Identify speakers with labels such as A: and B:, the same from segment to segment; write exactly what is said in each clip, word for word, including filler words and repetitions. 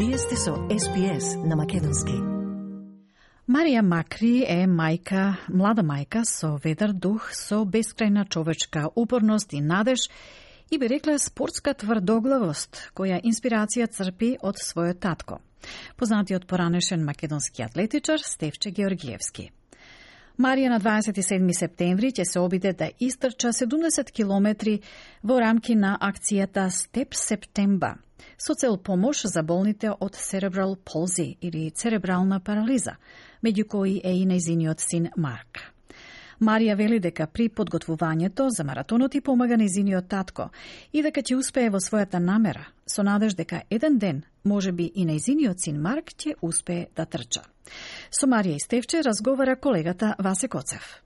A: Вие сте со Ес Би Ес на македонски.
B: Марија Макри е мајка, млада мајка со ведар дух, со бескрајна човечка упорност и надеж и би рекла спортска тврдоглавост, која инспирација црпи од својот татко, познатиот поранешен македонски атлетичар Стефче Георгиевски. Марија на дваесет и седми септември ќе се обиде да истрча седумдесет километри во рамки на акцијата Step September, со цел помош за болните од cerebral palsy или церебрална парализа, меѓу кои е и нејзиниот син Марк. Марија вели дека при подготвувањето за маратонот и помага нејзиниот татко и дека ќе успее во својата намера, со надеж дека еден ден, можеби и нејзиниот син Марк ќе успее да трча. Со Марија и Стефче разговара колегата Васе Коцев.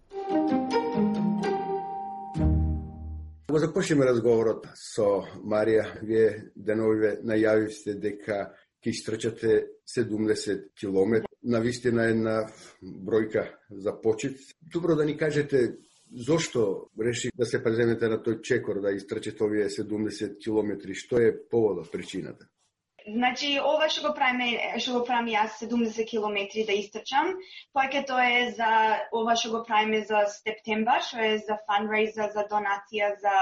C: Го започнеме разговорот со Марија. Вие деновиве најавивте дека ќе истрчате седумдесет километри. Навистина една бројка за почит. Добро да ни кажете зошто реши да се преземете на тој чекор да истрчате овие седумдесет километри? Што е поводот, причината?
D: Значи, ова што го правиме, што го правам јас седумдесет километри да истрчам, повеќето е за ова што го правиме за Септембар, што е за фанрейзер, за донација за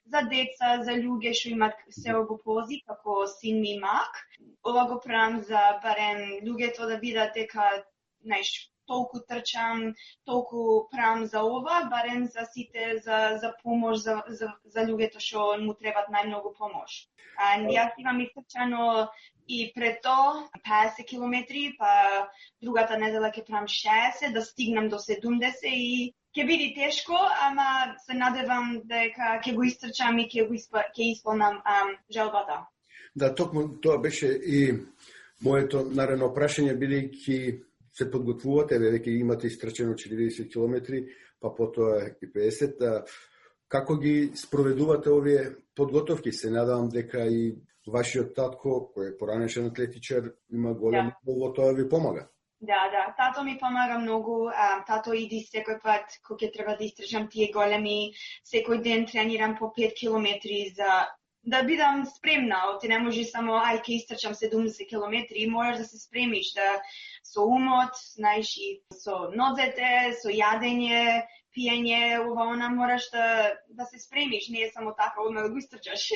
D: за деца, за луѓе што имаат себопози, како син ми Мак. Ова го правам за барем луѓето да видат дека, знаеш, толку трчам, толку правам за ова, барем за сите за за помош за за, за луѓето што му требат најмногу помош. А јас имам истрчано и пред тоа песет километри, па другата недела ќе правам шеесет, да стигнам до седумдесет и ќе биде тешко, ама се надевам дека ќе го истрчам и ќе го испа, ќе исполнам ам, желбата.
C: Да, токму тоа беше и моето наредно прашање, бидејќи се подготвувате, веќе имате истрчено четириесет километри, па потоа и песет. Како ги спроведувате овие подготовки? Се надевам дека и вашиот татко, кој е поранешен атлетичар, има голем
D: да.
C: во тоа ви помага.
D: Да, да, тато ми помага многу. А, тато иди секој пат кога ќе треба да истрчам тие големи, секој ден тренирам по пет километри за да бидам спремна. Ти не може само ај ќе истрчам седумдесет километри, можеш да се спремиш, да со умот, знаеш, и со нозете, со јадење, пиење, ова она мораш да да се спремиш, не е само така одма да го истрчаш.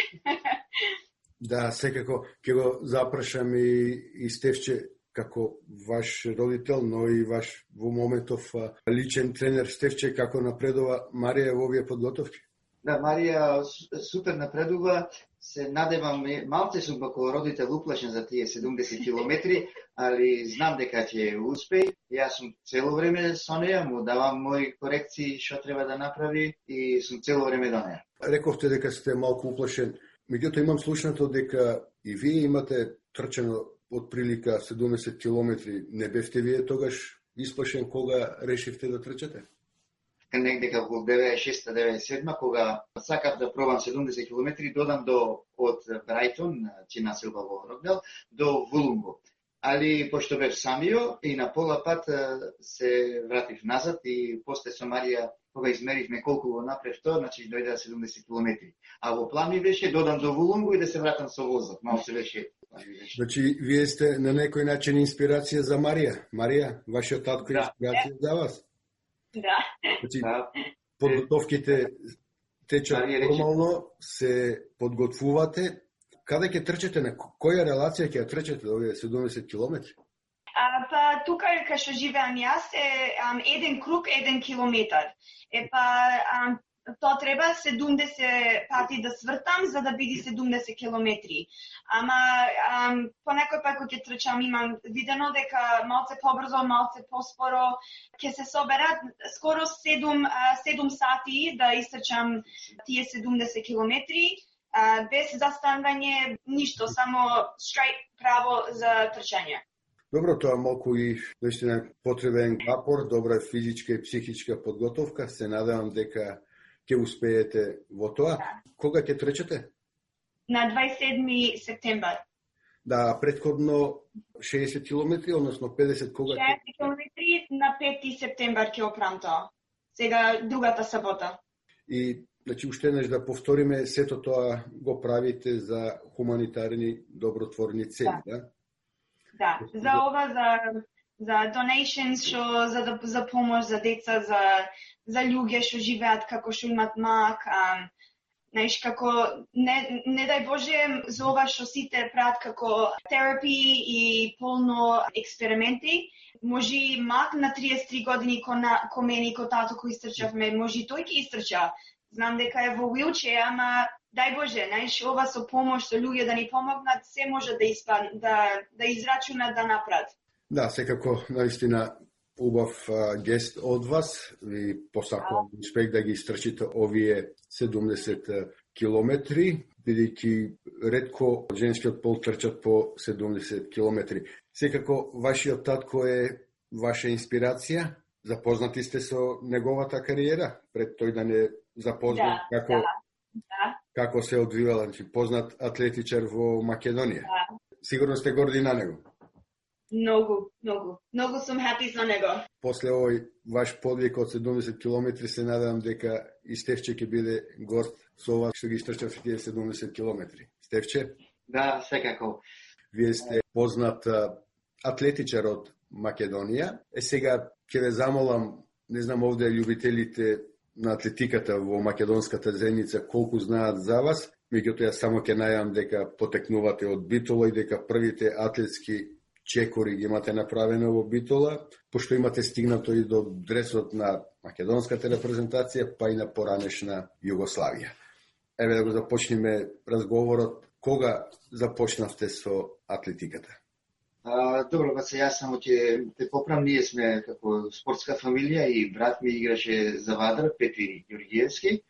C: Да, секако ќе го запрашам и, и Стефче како ваш родител, но и ваш во моментов личен тренер. Стефче, како напредува Марија во овие подготовки?
E: Да, Марија супер напредува. Се надевам, малце сум како родител уплашен за тие седумдесет километри, али знам дека ќе успее. Јас сум цело време со неја, му давам мои корекции што треба да направи и сум цело време до неја.
C: Рековте дека сте малку уплашен. Меѓутоа имам слушнато дека и вие имате трчано од прилика седумдесет километри. Не бевте вие тогаш исплашен кога решивте да трчате?
E: Негде во деветдесет и шеста деветдесет и седма, кога сакав да пробам седумдесет километри, додам до од Брајтон, чи населба во Рокдал, до Вулунго. Али пошто бев самио и на пола пат се вратив назад и после со Марија, кога измеривме колку го направив тоа, значи дојде седумдесет километри. А во план ми беше додам до Вулунго и да се вратам со возот. Мало се беше.
C: Значи, вие сте на некој начин инспирација за Марија. Марија, вашиот татко е инспирација за вас?
D: Да.
C: Значи, подготовките течат нормално, се подготвувате. Каде ќе трчате, на која релација ќе трчате овие седумдесет километри?
D: А, па тука кај што живеам јас е ам, еден круг, еден километар. Е па ам, тоа треба седумдесет пати да свртам за да биде седумдесет километри. Ама ам, по некој пат кога ќе трчам имам видено дека малце побрзо, малце поспоро ќе се соберат скоро седум сати да истрчам тие седумдесет километри. Uh, без застанување, ништо, само straight право за трчање.
C: Добро, тоа малку и наистина потребен напор, добра физичка и психичка подготовка. Се надевам дека ќе успеете во тоа. Да. Кога ќе трчате?
D: На дваесет и седми септембар.
C: Да, претходно шеесет километри, односно педесет кога?
D: шеесет километри на пети септембар ќе опрам тоа. Сега другата сабота.
C: И значи, уште еднаш да повториме, сето тоа го правите за хуманитарни добротворни цели, да?
D: Да, за ова, за, за donations, шо, за, да, за помош за деца, за, за луѓе што живеат како што имат мак, а, знаеш, како, не, не дај Боже, за ова што сите прават како терапи и полно експерименти, може мак на триесет и три години ко, на, ко мене и ко тато кој истрчавме, може тој ќе истрча. Знам дека е во wheelchair, ама дај Боже, знаеш, ова со помош, со луѓе да ни помогнат, се може да испад, да, да израчунат, да направат.
C: Да, секако, наистина, убав а, гест од вас. Ви посакувам успех да ги истрчите овие седумдесет километри, бидејќи ретко женскиот пол трчат по седумдесет километри. Секако, вашиот татко е ваша инспирација? Запознати сте со неговата кариера, пред тој да не запознат
D: да,
C: како,
D: да, да.
C: како се одвивала, значи познат атлетичар во Македонија.
D: Да.
C: Сигурно сте горди на него.
D: Многу, многу. Многу сум happy за него.
C: После овој ваш подвиг од седумдесет километри се надевам дека и Стефче ќе биде гост со ова што ги истрчавте тие седумдесет километри. Стефче?
E: Да, секако.
C: Вие сте познат атлетичар од Македонија. Е сега ќе ве замолам, не знам овде љубителите на атлетиката во македонската земјица колку знаат за вас, меѓутоа само ќе најавам дека потекнувате од Битола и дека првите атлетски чекори ги имате направено во Битола, пошто имате стигнато и до дресот на македонската репрезентација, па и на поранешна Југославија. Еве да го започнеме разговорот. Кога започнавте со атлетиката?
E: А, добро, ба се јас само ќе те поправам, ние сме како спортска фамилија и брат ми играше за Вадра, Петри Ѓорѓиевски,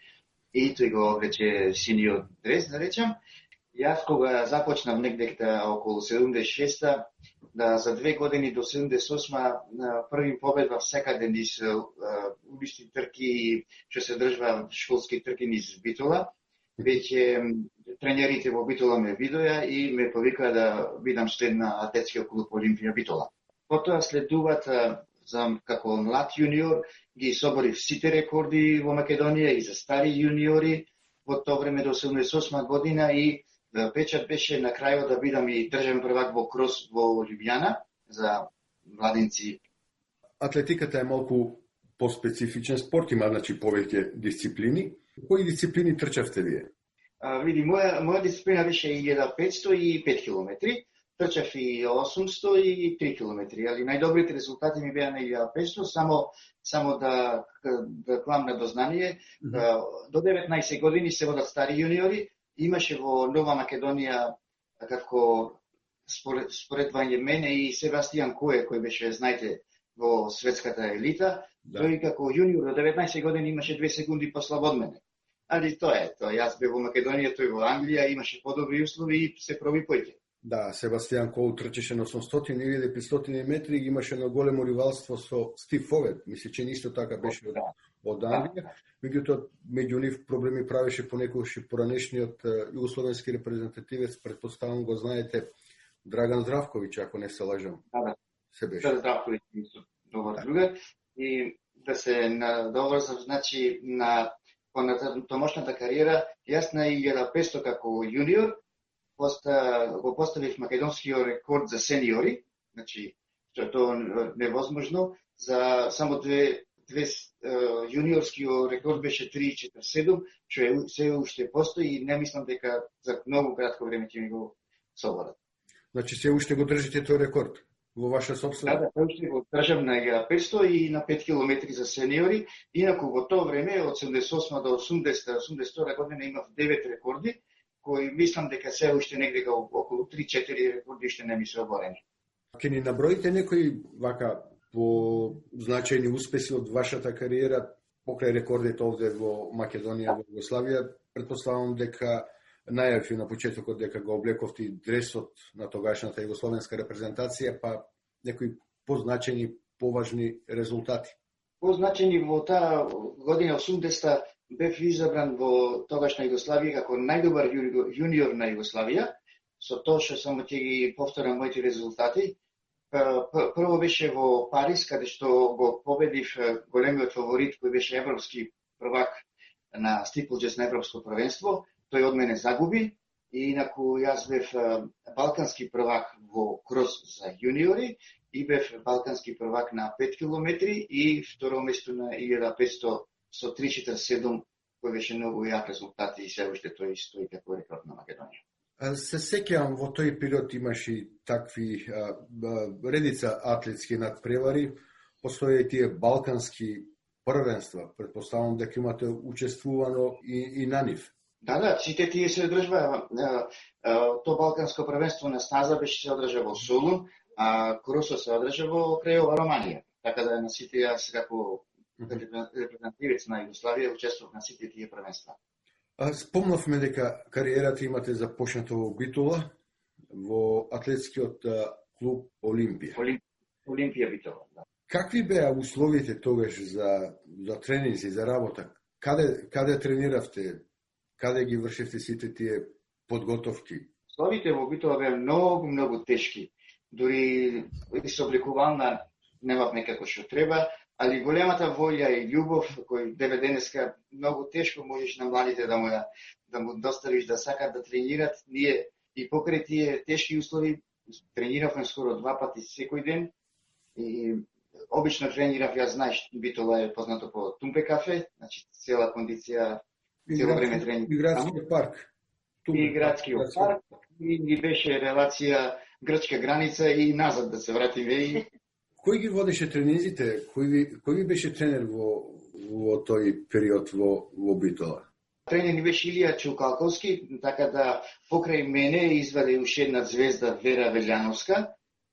E: и тој го облече синиот дрес, да речам. Јас кога започнав негде околу седумдесет и шеста, да за две години до седумдесет и осма први победвав секаде низ улични трки, што се држва школски трки низ Битола. Веќе тренерите во Битола ме видоа и ме повикаа да бидам член на атлетскиот клуб Олимпија Битола. Потоа следуваат за како млад јуниор ги соборив сите рекорди во Македонија и за стари јуниори во тоа време до седумдесет и осма година и печат беше на крајот да бидам и државен првак во крос во Лјубљана за младинци.
C: Атлетиката е малку поспецифичен спорт, има значи повеќе дисциплини. Кои дисциплини трчавте вие?
E: А, види, моја, моја дисциплина беше и илјада петсто и пет километри. Трчав и осумсто и три километри, али најдобрите резултати ми беа на илјада петсто, само само да да клам на дознание. Mm-hmm. До деветнаесет години се водат стари јуниори. Имаше во Нова Македонија како според, споредвање мене и Себастијан Кое, кој беше, знаете, во светската елита. Да. Тој како јуниор до деветнаесет години имаше две секунди послабо од мене. Али тоа е, тоа јас бев во Македонија, тој во Англија, имаше подобри услови и се проби поќе.
C: Да, Себастијан Коу трчеше на осумстотини и петстотини метри и имаше на големо ривалство со Стив Фовет. Мисли, че нисто така беше од, од Англија. Меѓутоа, меѓу нив проблеми правеше понекогаш и поранешниот југословенски репрезентативец, предпоставам го знаете, Драган Здравковиќ, ако не се лажам.
E: Да, да.
C: Се беше.
E: Да, Здравковиќ, добар другар. И да се надоврзам, значи, на понатамошната кариера, јас на илјада петсто како јуниор, Поста, го поставив македонскиот рекорд за сениори, значи, што е тоа невозможно, за само две, две јуниорскиот рекорд беше три четири седум, што е се уште постои и не мислам дека за многу кратко време ќе ми го соборат.
C: Значи, се уште го држите тој рекорд во ваша собствена?
E: Да, да, уште го држам на илјада петсто и на пет километри за сениори. Инаку во тоа време, од седумдесет и осма до осумдесета, осумдесет и втора година имав девет рекорди, кои мислам дека се уште негде околу три четири рекорди што не ми се оборени.
C: Ке ни наброите некои вака по значајни успеси од вашата кариера покрај рекордите овде во Македонија, во Југославија? Предпоставам дека најавив на почетокот дека го облековте дресот на тогашната југословенска репрезентација, па некои позначајни, поважни резултати.
E: Позначајни во таа година осумдесета бев избран во тогашна Југославија како најдобар јуниор на Југославија, со тоа што само ќе ги повторам моите резултати. Прво беше во Париз, каде што го победив големиот фаворит кој беше европски првак на стиплџес на европско првенство. Тој од мене загуби И инаку јас бев балкански првак во крос за јуниори и бев балкански првак на пет километри и второ место на илјада петсто со три четири седум, кој беше многу јак резултат и се уште тој стои како рекорд на Македонија.
C: Се сеќавам, во тој период имаше такви а, редица атлетски надпревари, постоje и тие балкански првенства, претпоставам дека имате учествувано и, и на нив.
E: Да, да, сите тие се одржува. То балканско првенство на стаза беше се одржа во Солун, а кросот се одржа во Крејова, Романија. Така да на сите јас како репрезентативец на Југославија учествував на сите тие првенства.
C: Спомнавме дека кариерата имате започната во Битола, во атлетскиот клуб Олимпија.
E: Олимп... Олимпија Битола, да.
C: Какви беа условите тогаш за, за тренинзи, за работа? Каде, каде трениравте? Каде ги вршевте сите тие подготовки?
E: Условите во Битола беа многу, многу тешки. Дури и со облекувална немав некако што треба, али големата волја и љубов, кој деве денеска многу тешко можеш на младите да му, да му доставиш да сакат да тренират. Ние и покрај тие тешки услови трениравме скоро два пати секој ден и обично тренирав, јас знаеш, Битола е познато по Тумпе кафе, значи цела кондиција, цело време тренинг.
C: И градскиот парк.
E: Тумпе, и градскиот парк, и ни беше релација грчка граница и назад да се вратиме и
C: Кој ги водеше тренинзите? Кој ви, кој ви беше тренер во, во тој период во, во Битола?
E: Тренер ни беше Илија Чукалковски, така да покрај мене изваде уште една звезда Вера Велјановска,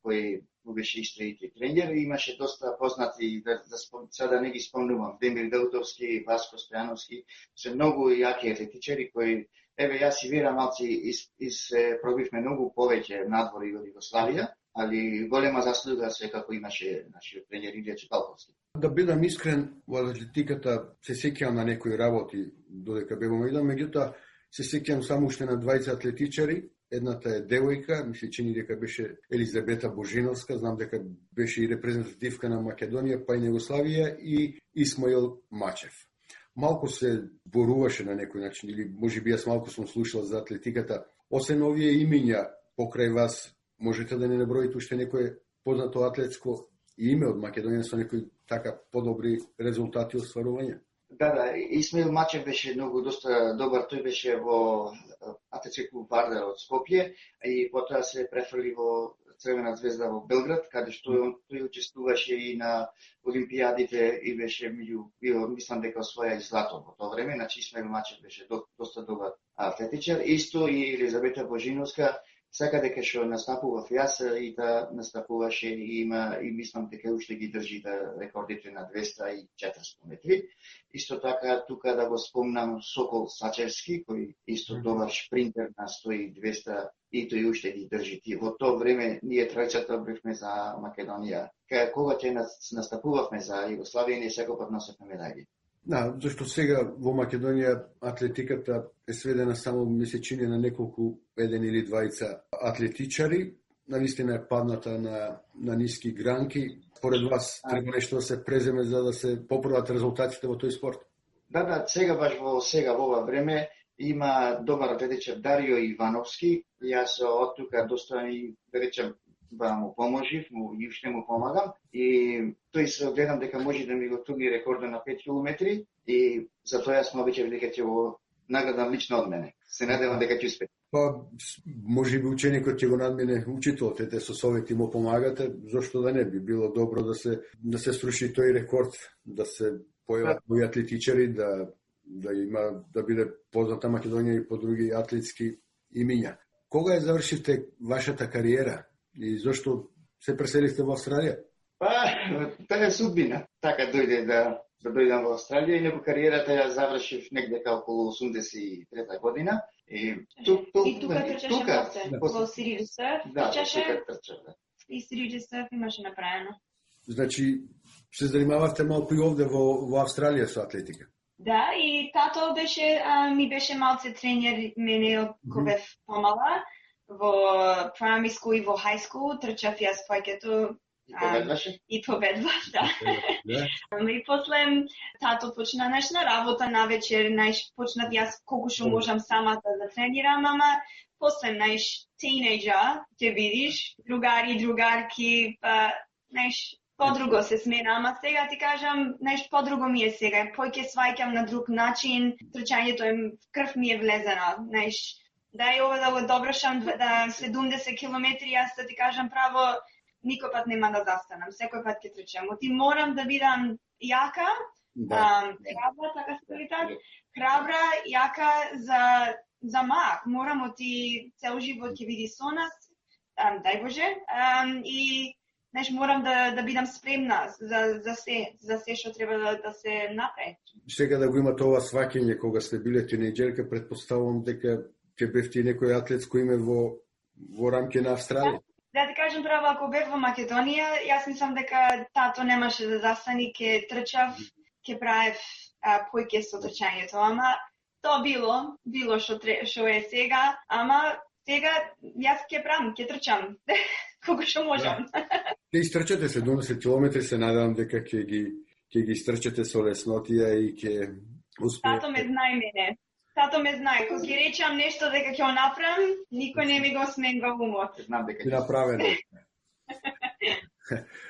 E: кој беше исто и тренер, и имаше доста познати, да, да спом... сега не ги спомнувам, Демир Даутовски, Васко Стојановски, се многу јаки атлетичари кои, еве јас и Вера малци из, из, пробивме многу повеќе надвори од Југославија, али голема заслуга секако имаше нашиот тренер Илија Чукалковски.
C: Да бидам искрен, во атлетиката се сеќавам на некои работи додека бевам идам, меѓутоа се сеќавам само уште на двајца атлетичари. Едната е девојка, мисли чини дека беше Елизабета Божиновска, знам дека беше и репрезентативка на Македонија, па и на Југославија, и Исмаил Мачев. Малку се боруваше на некој начин, или можеби јас малку сум слушал за атлетиката. Освен овие имиња покрај вас, можете да не наброите уште некој познато атлетско име од Македонија со некои така подобри резултати остварувања?
E: Да, да, Исмаил Мачев беше многу доста добар, тој беше во атлетски клуб Вардар од Скопје и потоа се префрли во Црвена звезда во Белград, каде што тој учествуваше и на олимпијадите и беше меѓу, био, мислам дека освоја и злато во тоа време, значи Исмаил Мачев беше до, доста добар атлетичар. Исто и Елизабета Божиновска, сака дека што настапував јас и да настапуваше и има и мислам дека уште ги држи да рекордите на двеста и четиристо метри. Исто така тука да го спомнам Сокол Сачевски, кој исто добар шпринтер на сто и двеста и тој уште ги држи. Во тоа време ние тројцата бевме за Македонија. Кога ќе настапувавме за Југославија, ние секој носевме медаји.
C: Да, зашто сега во Македонија атлетиката е сведена само месечине на неколку еден или двајца атлетичари, навистина е падната на, на ниски гранки. Поред вас треба нешто да се преземе за да се поправат резултатите во тој спорт?
E: Да, да, сега баш во сега во ова време има добар атлетичар Дарио Ивановски. Јас од тука доста и да речем да му поможив, му и уште му помагам и тој се гледам дека може да ми го туги рекордот на пет километри и затоа јас му обичав дека ќе го наградам лично од мене. Се надевам дека ќе успее.
C: Па, може би ученикот ќе го надмине учителот, ете со совети му помагате, зошто да не би било добро да се да се сруши тој рекорд, да се појават мои атлетичари, да да има да биде позната Македонија и по други атлетски имиња. Кога ја завршивте вашата кариера и зошто се преселивте во Австралија?
E: Па, таа е судбина. Така дојде да да дојдам во Австралија и некој кариерата ја завршив негде околу осумдесет и трета година. И, тук, тук,
D: и тука трчаше
E: тука,
D: после, во Сириус Сърф,
E: да,
D: трчаше
E: трча, да.
D: И Сириус Сърф имаше направено.
C: Значи, се занимававте малку и овде во, во Австралија со атлетика?
D: Да, и тато беше, а, ми беше малце тренер мене кога бев помала. Во primary school и во high school трчав јас повеќето
E: Победваше?
D: И победва, да.
C: Да.
D: И после тато почна неш на работа на вечер, неш почнав јас колку што можам самата да тренирам, ама после неш тинејџа ќе видиш другари, другарки, па неш подруго се смена, ама сега ти кажам, неш подруго ми е сега, поќе сваќам на друг начин, трчањето е крв ми е влезена, неш да е ова да го доброшам да седумдесет километри, јас да ти кажам право, никој пат нема да застанам, секој пат ќе трчам. Ти морам да бидам јака,
C: Да.
D: ам, храбра, така се вели така, храбра, јака за за мак. Морам ти цел живот ќе биде со нас, ам, дај Боже, ам, и неш морам да да бидам спремна за за се, за се што треба да, да се направи.
C: Сега да го имате ова сваќање кога сте биле тинејџерка, претпоставувам дека ќе бевте и некој атлетско име во во рамки на Австралија.
D: Да ти кажам право, ако бев во Македонија, јас мислам дека тато немаше да застани, ке трчав, ке правев појке со трчањето, ама то било, било што што е сега, ама сега јас ке правам, ке трчам, колку што можам.
C: Ке истрчате седумдесет километри, се надевам дека ќе ги ќе ги истрчате со леснотија и ќе успеете.
D: Тато ме знае мене. Тато ме знае, кога ќе речам нешто дека ќе го направам, никој не ми го сменува умот.
E: Знам дека
C: Ќе направено.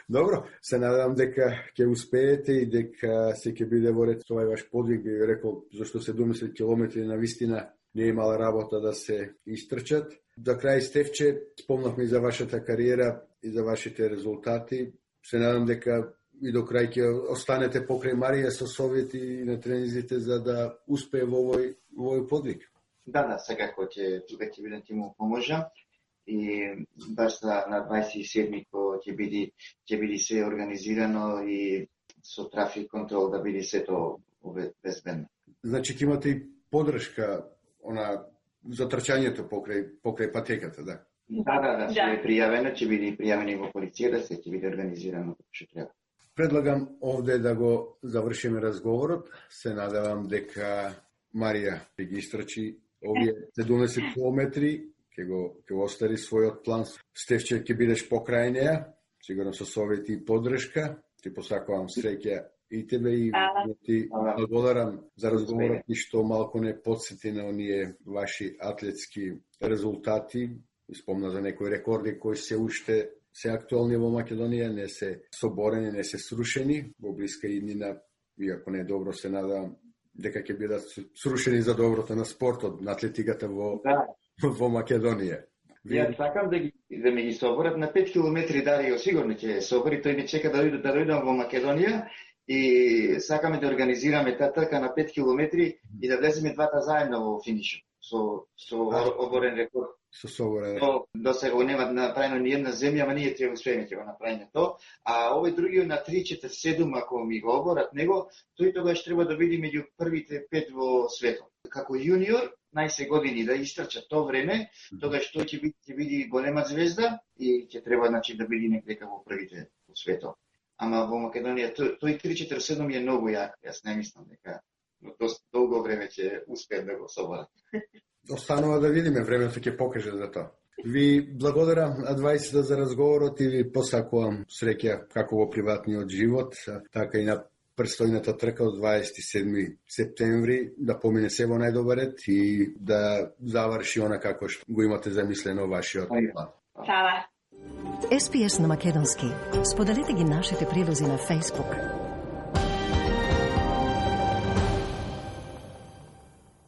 C: Добро, се надевам дека ќе успеете и дека се ќе биде во ред овај ваш подвиг, би рекол, зашто седумдесет километри на вистина не е мала работа да се истрчат. За крај, Стефче, спомнавме и за вашата кариера и за вашите резултати. Се надам дека и до крај ќе останете покрај Марија со совети и на тренизите за да успее во овој, во овој подвиг.
E: Да, да, секако ќе тука ќе бидам ти му поможам и баш на, на дваесет и седми кога ќе биде ќе биде се организирано и со трафик контрол да биде сето безбедно.
C: Значи ќе имате и поддршка она за трчањето покрај покрај патеката, да.
E: Да, да, да,
D: Да.
E: ќе е пријавено, ќе биде пријавено и во полицијата, се ќе биде организирано како што треба.
C: Предлагам овде да го завршиме разговорот. Се надевам дека Марија ќе ги истрчи овие седумдесет километри, ќе го ќе го остари својот план. Стефче, ќе бидеш покрај неа, сигурно со совети и поддршка. Ти посакувам среќа и тебе и
D: Ала.
C: ти благодарам за разговорот и што малку не подсети на оние ваши атлетски резултати. Спомна за некои рекорди кои се уште се актуелни во Македонија, не се соборени, не се срушени, во блиска иднина, иако не е добро, се надам дека ќе бидат срушени за доброто на спортот, на атлетиката во,
E: Да,
C: во Македонија.
E: Јас сакам да ги да ми ги соборат на пет километри, Дарио сигурно ќе собори, тој ми чека да дојде да дојдам во Македонија и сакаме да организираме таа трка на пет километри и да влеземе двата заедно во финишот со со оборен рекорд.
C: Со собора.
E: То до сега нема направено ни една земја, ама ние ќе успееме ќе го направиме то. А овој другиот на три четири седум, ако ми го оборат него, тој тогаш треба да биде меѓу првите пет во светот. Како јуниор, најсе години да истрча то време, тогаш тој ќе биде ќе биде голема звезда и ќе треба значи да биде некаде во првите во светот. Ама во Македонија тој, тој три четири седум е многу јак. Јас не мислам дека но доста долго време ќе успеат да го соборат.
C: Останува да видиме, времето ќе покаже за тоа. Ви благодарам на дваесет за разговорот и ви посакувам среќа како во приватниот живот, така и на престојната трка од дваесет и седми септември, да помине се во најдобар ред и да заврши она како што го имате замислено вашиот план.
D: Фала.
A: Ес Би Ес на македонски. Споделете ги нашите прилози на Facebook.